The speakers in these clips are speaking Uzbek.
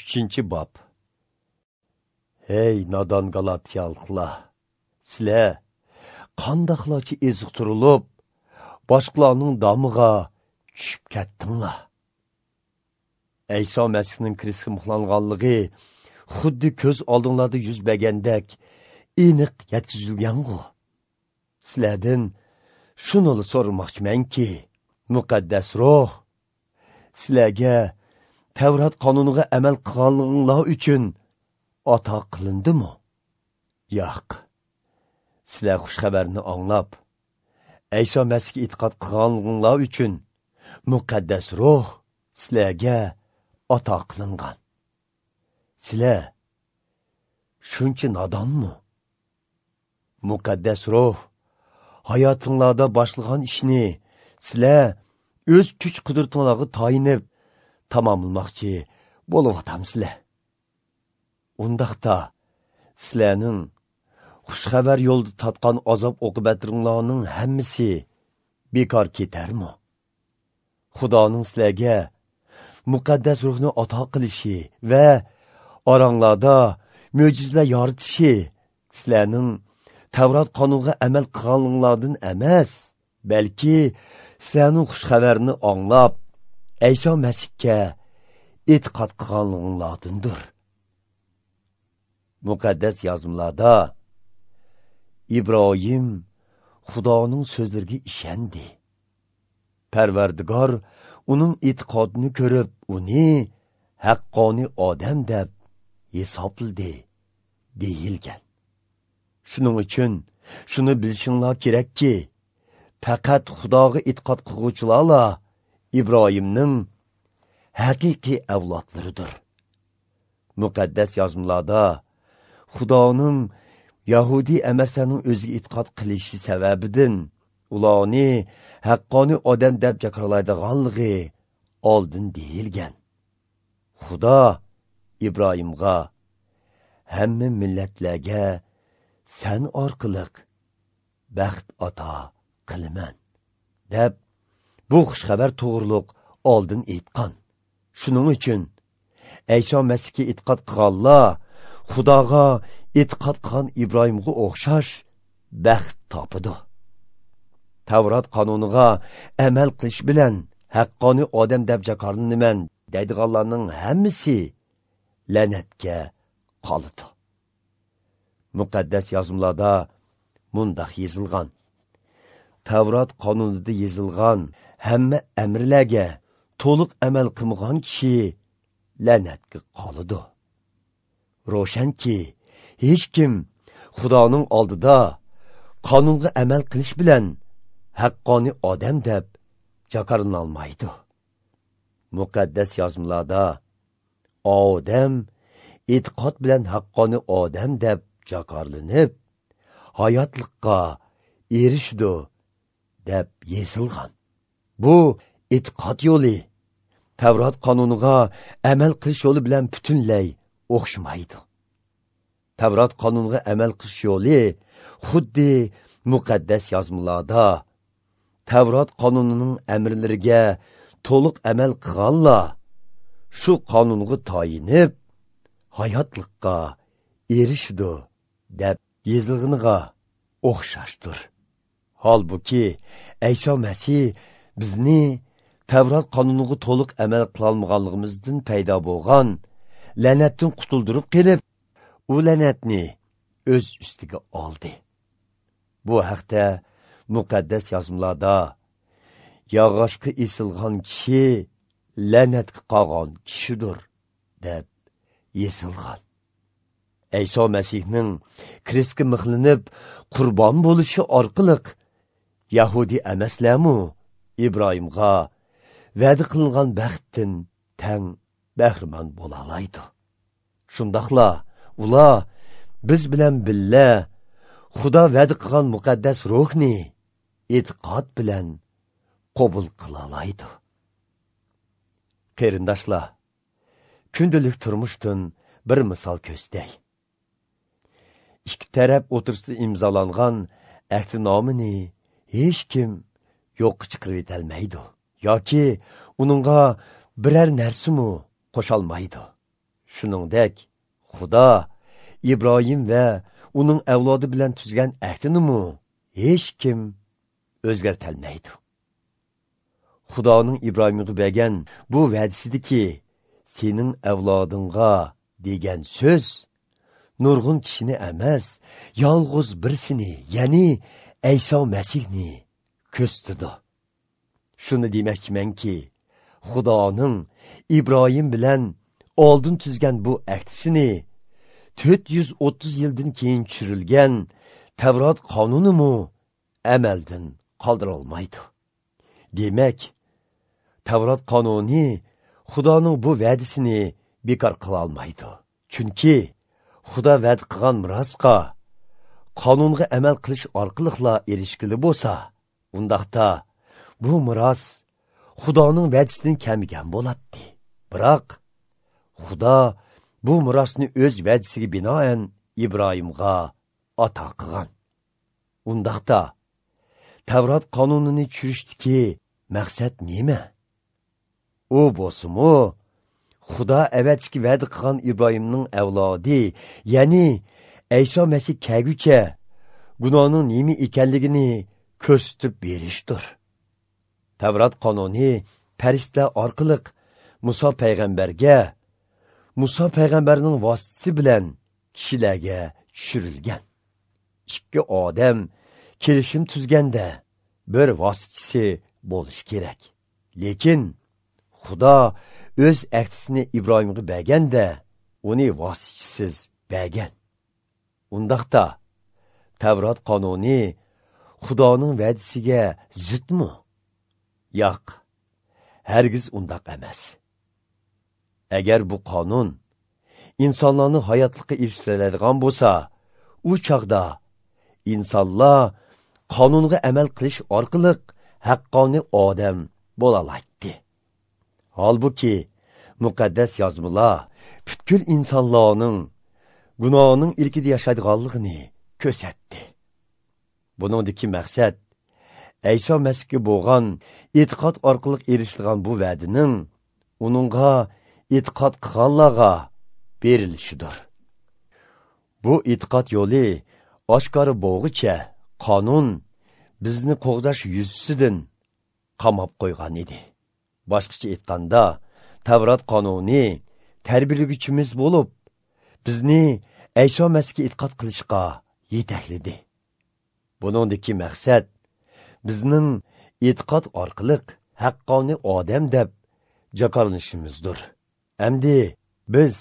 3-bob. Hey nodon Galatiyalıqlar, sizlar qandaqlarcha eziqtirilib, boshqalarning domiga tushib ketdinglar. İsa Məsihning krestga mixlanganligi xuddi ko'z oldinglarda yuz bergandek aniq yetkazilgan-ku. Sizlardan shuni so'ramoqchimanki, muqaddas ruh sizlarga Tavrat qonuniga amal qilganliginglar uchun ato qilindimi? Yo'q. Sizlar xush xabarni anglab, İsa Məsihga e'tiqod qilganliginglar uchun muqaddas ruh sizlarga ato qilingan. Sizlar shuncha nodonmi? Muqaddas ruh hayotinglarda boshlagan ishni sizlar o'z kuch qudratinglarga tayinib tamomlamoqchi bo'lyapsizlar. Undaqda sizlarning xushxabar yo'lda tatgan azob oqibatlaringlarning hammasi bekor ketarmi? Xudoning sizlarga muqaddas ruhni ato qilishi va oranglarda mo'jizalar yoritishi sizlarning Tavrat qonuniga amal qilganinglardan emas, balki sizlarning xushxabarni anglab, İsa Məsihga e'tiqod qilganliginglardandir. Muqaddas yozmalarda İbrahim Xudoning so'zlariga ishondi. Parvardigor uning e'tiqodini ko'rib, uni haqqoniy odam deb hisobladi deyilgan. Shuning uchun shuni bilishinglar kerakki, faqat Xudoga e'tiqod qilguvchilarla İbrahimning haqiqiy avlodlaridir. Muqaddas yozmalarda Xudoning Yahudi emaslarning o'ziga e'tiqod qilishi sababidan ularni haqqoniy odam deb jakorlaydiganligi oldin deyilgan. Xudo İbrahimga hamma millatlarga sen orqali baxt ato qilaman deb bu xushxabar to'g'riliq oldin aytgan. Shuning uchun İsa Məsihga e'tiqod qilganlar Xudoga e'tiqod qilgan İbrahimga o'xshash baxt topadi. Tavrat qonuniga amal qilish bilan haqqoniy odam deb jakorlanaman deydiganlarning hammasi la'natga qoladi. Muqaddas yozmalarda mundaq yozilgan: Tavrat qonunida yozilgan hamma amrlarga to'liq amal qilmagan kishi la'natga qoladi. Ro'shanki, hech kim Xudoning oldida qonunga amal qilish bilan haqqoniy odam deb jakorlanolmaydi. Muqaddas yozmalarda odam e'tiqod bilan haqqoniy odam deb jakorlanib, hayotlikqa erishdi deb yozilgan. Bu e'tiqod yo'li Tavrat qonuniga amal qilish yo'li bilan butunlay o'xshamaydi. Tavrat qonuniga amal qilish yo'li xuddi muqaddas yozmalarda Tavrat qonunining amrlariga to'liq amal qilganlar shu qonunga tayinib hayotlikqa erishdi deb yozilganiga o'xshashdir. Halbuki İsa Məsih bizni Tavrat qonuniga to'liq amal qilolmaganligimizdan paydo bo'lgan la'natdan qutuldirib kelib, u la'natni o'z ustiga oldi. Bu haqda muqaddas yozmalarda yog'ochga esilgan kishi la'natga qolgan kishidir deb yozilgan. İsa Məsihning krestga mixlanib qurbon bo'lishi orqali Yahudi emaslarmi İbrahimga va'da qilingan baxtdan tang bahramand bo'la oladi. Shundaqla ular biz bilan billa Xudo va'da qilgan muqaddas ruhni e'tiqod bilan qabul qila oladi. Qarindoshlar, kundalik turmushdan bir misol ko'rsatay. Ikki taraf o'tirsida imzolangan ahdnomani hech kim yo'qqa chiqarib etolmaydi yoki uningga biror narsami qo'sholmaydi. Shuningdek, Xudo Ibrohim va uning avlodi bilan tuzgan ahdini hech kim o'zgartolmaydi. Xudoning Ibrohimga bergan bu va'dasidiki sening avlodingga degan so'z nurg'un kishini emas, yolg'iz birisini, ya'ni Ayso Masihni ko'rsatdi. Shuni demoqchimanki, Xudoning Ibrohim bilan oldin tuzgan bu ahdisini 430 yildan keyin tushirilgan Tavrat qonunimi amaldan qoldira olmaydi. Demak, Tavrat qonuni Xudoning bu va'dasini bekor qila olmaydi. Chunki Xudo va'da qilgan merosga qonunga amal qilish orqali erishgili bo'lsa, undaqda bu meros Xudoning va'dasidan kamigan bo'ladi. Biroq Xudo bu merosni o'z va'dasiga binoan Ibrohimga ato qilgan. Undaqda Tavrat qonunini tushirishdagi maqsad nima? U bo'lsa-mu, Xudo avvalgi va'da qilgan Ibrohimning avlodi, ya'ni Ayso Masih kelguncha gunohning nima ekanligini ko'rsatib berishdir. Tavrat qonuni farishta orqali Musa payg'ambarga, Musa payg'ambarning vositasi bilan kishilarga tushirilgan. Ikki odam kelishim tuzganda bir vositachisi bo'lishi kerak. Lekin Xudo o'z ahdisini Ibrohimga berganda uni vositachisiz bergan. Undaqda Tavrat qonuni Xudoning va'dasiga zidmi? Yo'q, hargiz undaq emas. Agar bu qonun insonlarni hayotlikka erishtiradigan bo'lsa, u chog'da insonlar qonunga amal qilish orqali haqqoniy odam bo'la oladi. Holbuki muqaddas yozmalar butkul insonlarning gunohning ilkida yashaydiganligini ko'rsatdi. Buningdagi maqsad Ayso Masihga bo'lgan e'tiqod orqali erishilgan bu va'daning uningga e'tiqod qilganlarga berilishidir. Bu e'tiqod yo'li oshkora bo'lg'icha qonun bizni qo'g'dash yuzasidan qamab qo'ygan edi. Boshqacha aytganda, Tavrat qonuni tarbiyalaguchimiz bo'lib, bizni Ayso Masihga e'tiqod qilishga yetakladi. Buningdagi maqsad bizning e'tiqod orqali haqqoniy odam deb jakorlanishimizdir. Endi biz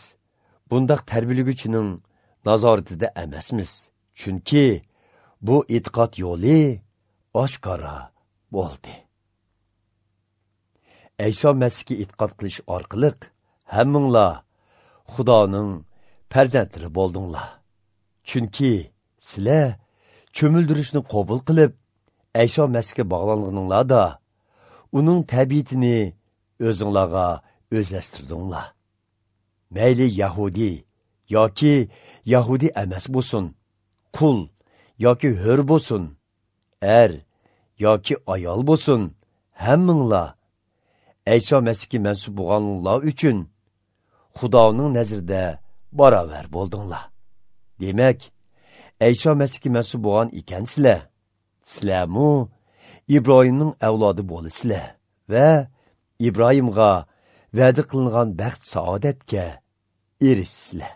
bundaq tarbiyalaguchining nazoratida emasmiz, chunki bu e'tiqod yo'li oshkora bo'ldi. Ayso Masihga e'tiqod qilish orqali hammanglar Xudoning farzandlari bo'ldinglar. Chunki sizlar cho'mildirishni qabul qilib, Ayso Masihga bog'langaninglarda uning tabiatini o'zinglarga o'zlashtirdinglar. Mayli Yahudi yoki Yahudi emas bo'lsin, qul yoki hur bo'lsin, er yoki ayol bo'lsin, hammanglar Ayso Masihga mansub bo'lganlar uchun Xudoning nazarida barobar bo'ldinglar. Demak, Ayso Masihga mansub bo'lgan ekansizlar, sizlarmu Ibrohimning avlodi bo'lasizlar va Ibrohimga va'da qilingan baxt saodatga erishsizlar.